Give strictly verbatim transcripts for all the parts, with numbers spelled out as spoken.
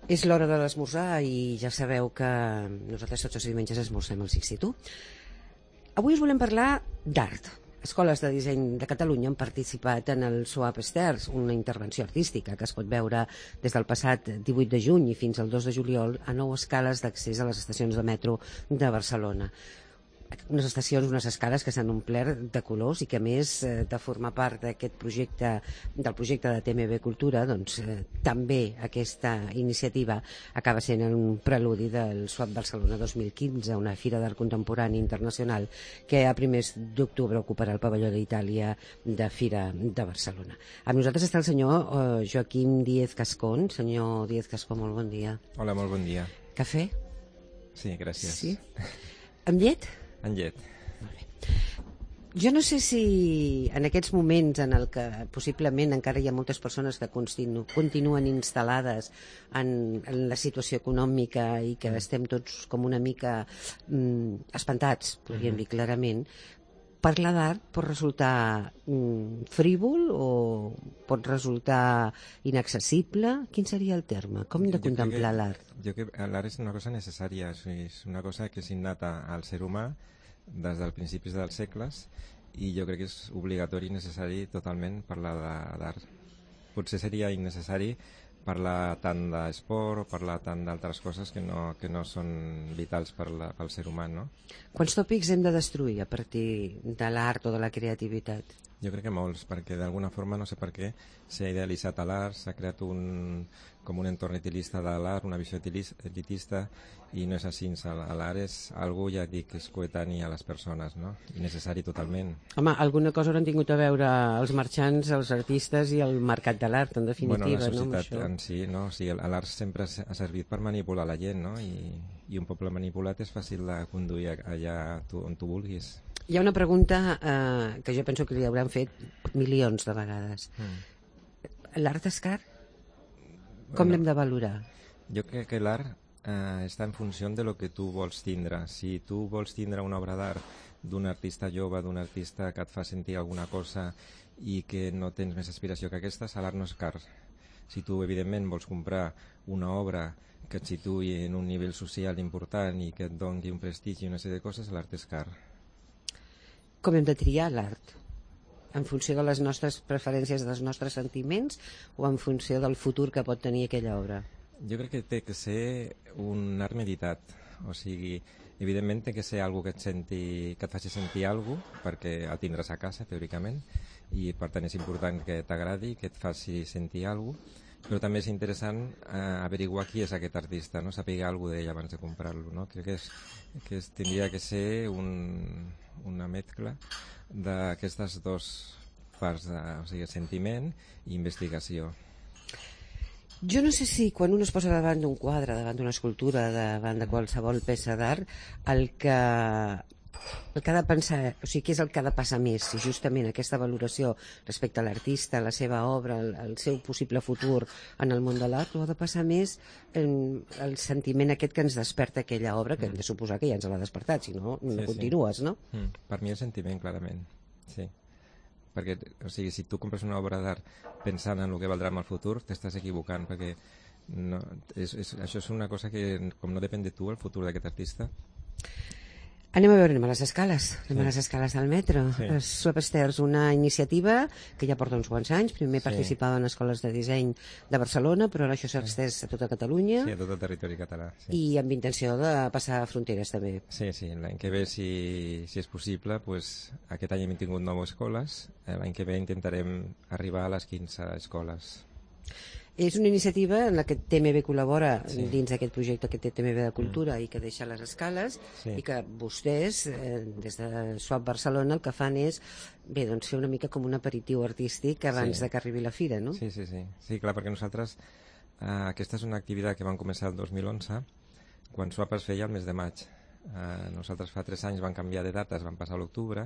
És l'hora de l'esmorzar i ja sabeu que nosaltres tots els diumenges esmorzem al Sixty-Two. Avui us volem parlar d'art. Escoles de disseny de Catalunya han participat en el Swap Stairs, una intervenció artística que es pot veure des del passat divuit de juny i fins al dos de juliol a nou escales d'accés a les estacions de metro de Barcelona. Unes estacions, unes escales que s'han omplert de colors i que, a més de formar part d'aquest projecte, del projecte de T M B Cultura, doncs eh, també aquesta iniciativa acaba sent un preludi del Swap Barcelona dos mil quinze, una fira d'art contemporani internacional que a primers d'octubre ocuparà el pavelló d'Itàlia de Fira de Barcelona. Amb nosaltres està el senyor eh, Joaquim Díez Cascón. Senyor Díez Cascón, molt bon dia. Hola, molt bon dia. Cafè? Sí, gràcies. Sí? Amb llet? En llet. Molt bé. Jo no sé si en aquests moments en el que possiblement encara hi ha moltes persones que continu, continuen instal·lades en, en la situació econòmica i que estem tots com una mica mm, espantats, podríem dir clarament, parlar d'art pot resultar mm, frívol o pot resultar inaccessible? Quin seria el terme? Com de contemplar l'art? Jo crec que l'art és una cosa necessària, és una cosa que és innata al ser humà des dels principis dels segles i jo crec que és obligatori i necessari totalment parlar d'art. Potser seria innecessari parlar tant d'esport o parlar tant d'altres coses que no, que no són vitals per la, pel ser humà, no? Quants tòpics hem de destruir a partir de l'art o de la creativitat? Jo crec que molts, perquè d'alguna forma, no sé per què, s'ha idealitzat l'art, s'ha creat un, com un entorn elitista de l'art, una visió elitista, i no és així. L'art és algo, ja dic, que és coetani a les persones, no? I necessari totalment. Home, alguna cosa hauran tingut a veure els marxants, els artistes i el mercat de l'art, en definitiva, bueno, la societat no? en si, no? O sigui, l'art sempre ha servit per manipular la gent, no? I, i un poble manipulat és fàcil de conduir allà tu, on tu vulguis. Hi ha una pregunta eh, que jo penso que li hauran fet milions de vegades. Mm. L'art és car? Com bueno, l'hem de valorar? Jo crec que l'art eh, està en funció de lo que tu vols tindre. Si tu vols tindre una obra d'art d'un artista jove, d'un artista que et fa sentir alguna cosa i que no tens més aspiració que aquesta, l'art no és car. Si tu, evidentment, vols comprar una obra que et situï en un nivell social important i que et doni un prestigi i una sèrie de coses, l'art és car. Com hem de triar l'art? En funció de les nostres preferències, dels nostres sentiments, o en funció del futur que pot tenir aquella obra? Jo crec que té que ser un art meditat. O sigui, evidentment té que ser algo que et, senti, que et faci sentir alguna cosa, perquè el tindràs a casa, teòricament, i per tant és important que t'agradi, que et faci sentir alguna cosa, però també és interessant eh, averiguar qui és aquest artista, no? Saber alguna cosa d'ell abans de comprar-lo, no? Crec que, és, que és, tindria que ser un, una mescla d'aquestes dues parts, de, o sigui, sentiment i investigació. Jo no sé si quan un es posa davant d'un quadre, davant d'una escultura, davant de qualsevol peça d'art, el que el que ha de pensar, o sigui, què és el que ha de passar més, si justament aquesta valoració respecte a l'artista, la seva obra, el, el seu possible futur en el món de l'art, o ha de passar més en el sentiment aquest que ens desperta aquella obra, que hem de suposar que ja ens l'ha despertat, si no, no sí, continues, sí. No? Mm, per mi el sentiment, clarament, sí. Perquè, o sigui, si tu compres una obra d'art pensant en el que valdrà en el futur, t'estàs equivocant, perquè no, és, és, això és una cosa que, com no depèn de tu, el futur d'aquest artista. Anem a veure, anem a les escales, anem sí. a les escales del metro. Sí. Swap Stairs, una iniciativa que ja porta uns quants anys, primer sí. participava en escoles de disseny de Barcelona, però ara això s'ha extès a tota Catalunya. Sí, a tot el territori català. Sí. I amb intenció de passar fronteres també. Sí, sí, l'any que ve, si, si és possible, pues, aquest any hem tingut nou escoles, l'any que ve intentarem arribar a les quinze escoles. És una iniciativa en la que T M B col·labora sí. dins d'aquest projecte que té T M B de Cultura mm. i que deixa les escales sí. i que vostès, eh, des de Swap Barcelona, el que fan és bé, doncs fer una mica com un aperitiu artístic abans sí. de que arribi la fira, no? Sí, sí, sí. Sí, clar, perquè nosaltres, eh, aquesta és una activitat que vam començar el dos mil onze, quan Swap es feia el mes de maig. Eh, nosaltres fa tres anys vam canviar de dates, vam passar a l'octubre,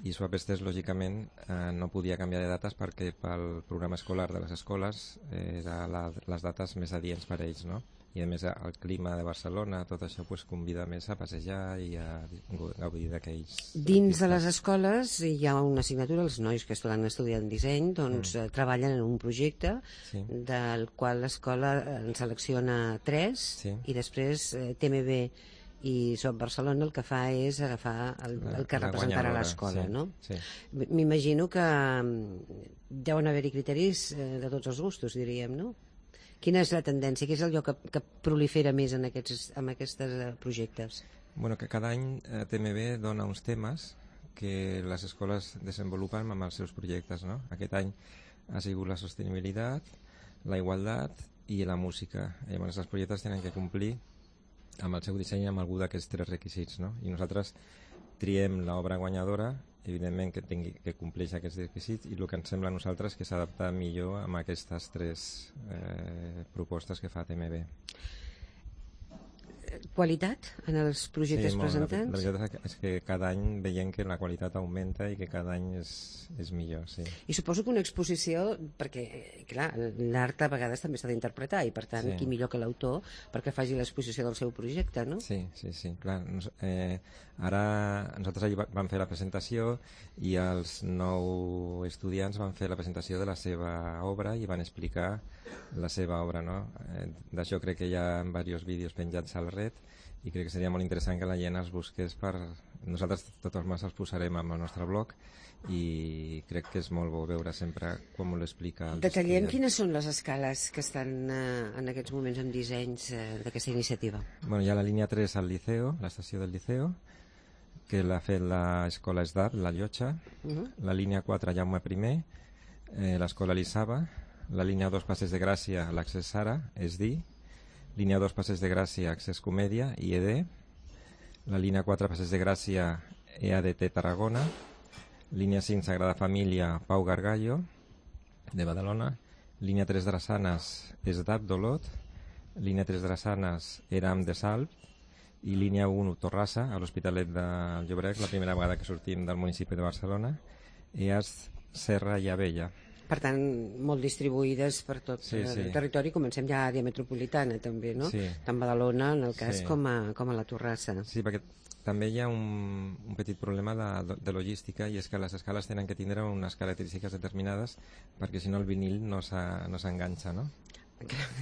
i Swap Estès, lògicament, eh, no podia canviar de dates perquè pel programa escolar de les escoles eh, eren la, les dates més adients per a ells, no? I a més el clima de Barcelona, tot això pues, convida més a passejar i a gaudir d'aquells... Dins de les escoles hi ha una assignatura, els nois que estan estudiant disseny doncs, mm. treballen en un projecte sí. del qual l'escola en selecciona tres sí. i després eh, T M B i Swap Barcelona el que fa és agafar el, el que la representarà l'escola, sí, no? Sí. M'imagino que deuen haver-hi criteris eh, de tots els gustos, diríem, no? Quina és la tendència? Què és allò que, que prolifera més en aquests en aquests projectes? Bueno, que cada any eh, T M B dona uns temes que les escoles desenvolupen amb els seus projectes, no? Aquest any ha sigut la sostenibilitat, la igualtat i la música. Llavors els projectes tenen que complir amb el seu disseny amb algú d'aquests tres requisits, no? I nosaltres triem l'obra guanyadora, evidentment que, tingui, que compleix aquests requisits, i el que ens sembla a nosaltres que s'adapta millor amb aquestes tres eh, propostes que fa T M B. Qualitat en els projectes sí, molt, presentats? La, la veritat és que cada any veiem que la qualitat augmenta i que cada any és, és millor, sí. I suposo que una exposició, perquè clar, l'art a vegades també s'ha d'interpretar i per tant, sí. qui millor que l'autor perquè faci l'exposició del seu projecte, no? Sí, sí, sí, clar. Eh, ara nosaltres ahir vam fer la presentació i els nou estudiants van fer la presentació de la seva obra i van explicar la seva obra, no? Eh, D'això crec que hi ha diversos vídeos penjats al red i crec que seria molt interessant que la gent els busqués per... Nosaltres de totes maneres els posarem al nostre blog i crec que és molt bo veure sempre com ho l'explica. Detallem quines són les escales que estan eh, en aquests moments en dissenys eh, d'aquesta iniciativa. Bueno, hi ha la línia tres al Liceo, l'estació del Liceo, que l'ha fet l'escola S D A P, la Llotja, uh -huh. la línia quatre Jaume I, eh, l'escola Elisava, la línia dos Passeig de Gràcia, l'Accés Sara, S D I, línia dos Passeig de Gràcia, Accés Comèdia, I E D, la línia quatre Passeig de Gràcia, E A D T Tarragona, línia cinc Sagrada Família, Pau Gargallo, de Badalona, línia tres Drassanes, S D A P d'Olot, línia tres Drassanes, Eram de Salp, i línia un Torrassa, a l'Hospitalet del Llobregat, la primera vegada que sortim del municipi de Barcelona, E A S Serra i Abella. Per tant, molt distribuïdes per tot sí, sí. el territori. Comencem ja a àrea metropolitana, també, no? Sí. Tant Badalona, en el cas, sí. com, a, com a la Torrassa. Sí, perquè també hi ha un, un petit problema de, de logística i és que les escales tenen que tindre unes característiques determinades perquè si no el vinil no s'enganxa, no?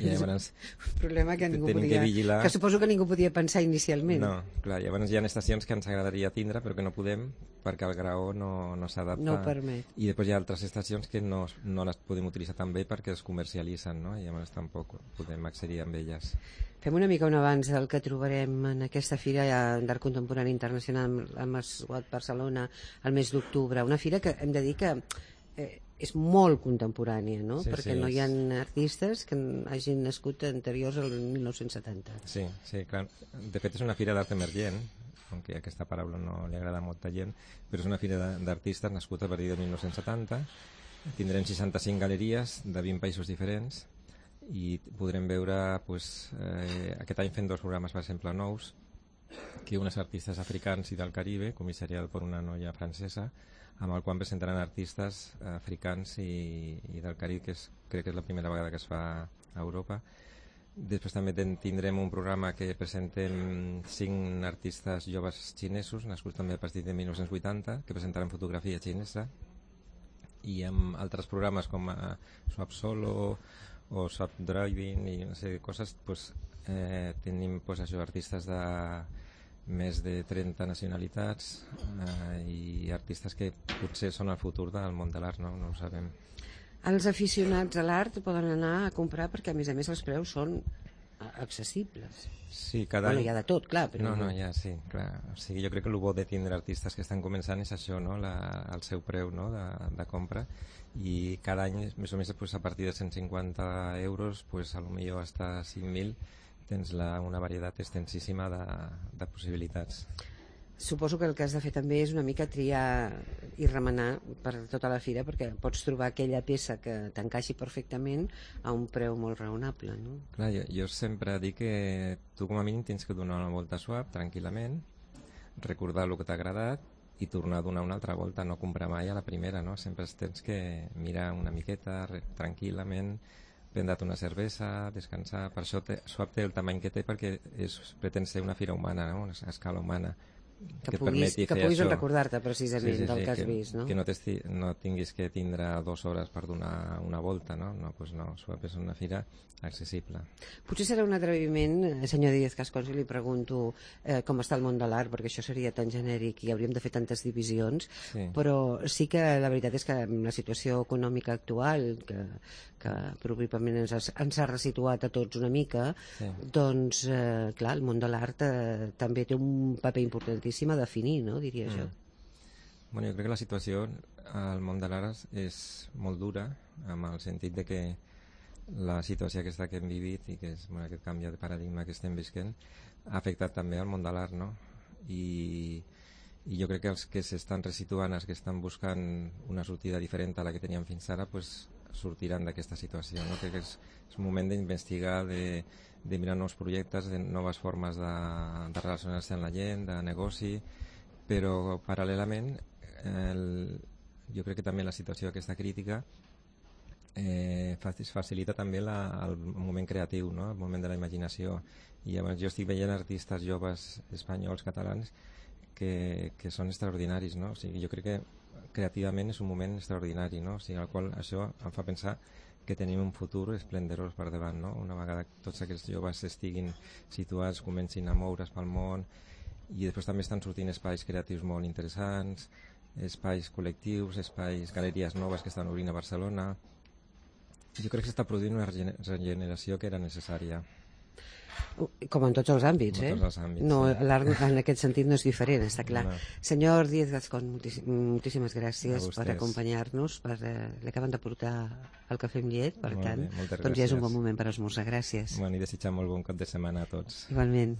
I llavors, un problema que ningú podia, que, vigilar... que suposo que ningú podia pensar inicialment. No, clar, llavors hi ha estacions que ens agradaria tindre però que no podem perquè el graó no, no s'adapta. No ho permet. I després hi ha altres estacions que no, no les podem utilitzar tan bé perquè es comercialitzen, no? I llavors tampoc podem accedir amb elles. Fem una mica un avanç del que trobarem en aquesta fira d'art contemporani internacional amb Swap Barcelona el mes d'octubre. Una fira que hem de dir que eh, és molt contemporània, no? Sí, perquè sí, no hi ha artistes que hagin nascut anteriors al mil nou-cents setanta. Sí, sí, clar. De fet és una fira d'art emergent, aunque aquesta paraula no li agrada a molta gent, però és una fira d'artistes nascuda a partir de mil nou-cents setanta. Tindrem seixanta-cinc galeries de vint països diferents i podrem veure, pues, eh, aquest any fent dos programes, per exemple, nous, que un és artistes africans i del Caribe, comissariat per una noia francesa, amb el qual presentaran artistes africans i, i del Carib, que és, crec que és la primera vegada que es fa a Europa. Després també ten, tindrem un programa que presentem cinc artistes joves xinesos, nascuts també a partir de mil nou-cents vuitanta, que presentaran fotografia xinesa, i amb altres programes com a Swap Solo o Swap Driving i una sèrie de coses, pues, eh, tenim pues, això, artistes de més de trenta nacionalitats eh, i artistes que potser són el futur del món de l'art, no? No ho sabem. Els aficionats a l'art poden anar a comprar perquè a més a més els preus són accessibles. Sí, cada bueno, any... hi ha de tot, clar. Però... No, no, ja, sí, clar. O sigui, jo crec que el bo de tindre artistes que estan començant és això, no? La, el seu preu, no? de, de compra, i cada any, més o menys, pues, a partir de cent cinquanta euros, pues, a lo millor hasta cinc mil, tens la, una varietat extensíssima de, de possibilitats. Suposo que el que has de fer també és una mica triar i remenar per tota la fira, perquè pots trobar aquella peça que t'encaixi perfectament a un preu molt raonable, no? Clar, jo, jo sempre dic que tu com a mínim tens que donar una volta suave, tranquil·lament, recordar el que t'ha agradat i tornar a donar una altra volta, no comprar mai a la primera, no? Sempre tens que mirar una miqueta, re, tranquil·lament, prendre't una cervesa, descansar. Per això té, Swap té el tamany que té, perquè és, pretén ser una fira humana, no? Una escala humana. Que, que, puguis, que puguis recordar-te precisament sí, sí, del sí, que has que, vist, no? Que no, no tinguis que tindre dues hores per donar una volta, no? No, pues no, Swap és una fira accessible. Potser serà un atreviment, senyor Díaz Cascón, si li pregunto eh, com està el món de l'art, perquè això seria tan genèric i hauríem de fer tantes divisions, sí. Però sí que la veritat és que amb la situació econòmica actual, que, que probablement ens ha, ens ha resituat a tots una mica, sí. Doncs, eh, clar, el món de l'art eh, també té un paper importantíssim a definir, no? Diria mm. jo. Bueno, jo crec que la situació al món de l'art és molt dura, amb el sentit de que la situació aquesta que hem vivit i que és bueno, aquest canvi de paradigma que estem visquent ha afectat també al món de l'art, no? I, i jo crec que els que s'estan resituant, els que estan buscant una sortida diferent a la que teníem fins ara, pues, sortiran d'aquesta situació, no? Crec que és, és un moment d'investigar, de, de mirar nous projectes, de noves formes de, de relacionar-se amb la gent, de negoci, però paral·lelament el, jo crec que també la situació aquesta crítica Eh, facilita també la, el moment creatiu, no? El moment de la imaginació, i llavors jo estic veient artistes joves espanyols, catalans que, que són extraordinaris, no? O sigui, jo crec que creativament és un moment extraordinari, no? O sigui, al qual això em fa pensar que tenim un futur esplendorós per davant, no? Una vegada que tots aquests joves estiguin situats, comencin a moure's pel món, i després també estan sortint espais creatius molt interessants, espais col·lectius, espais, galeries noves que estan obrint a Barcelona. Jo crec que s'està produint una regeneració que era necessària. Com en tots els àmbits, eh? Tots els àmbits, no, sí. L'art en aquest sentit no és diferent, està clar. No. Senyor Díaz Gascón, moltíssimes gràcies per acompanyar-nos. Per, eh, l'acaben de portar al Cafè amb Llet, per molt tant, bé, doncs ja és un bon moment per esmorzar. Gràcies. Bueno, i desitjar molt bon cap de setmana a tots. Igualment.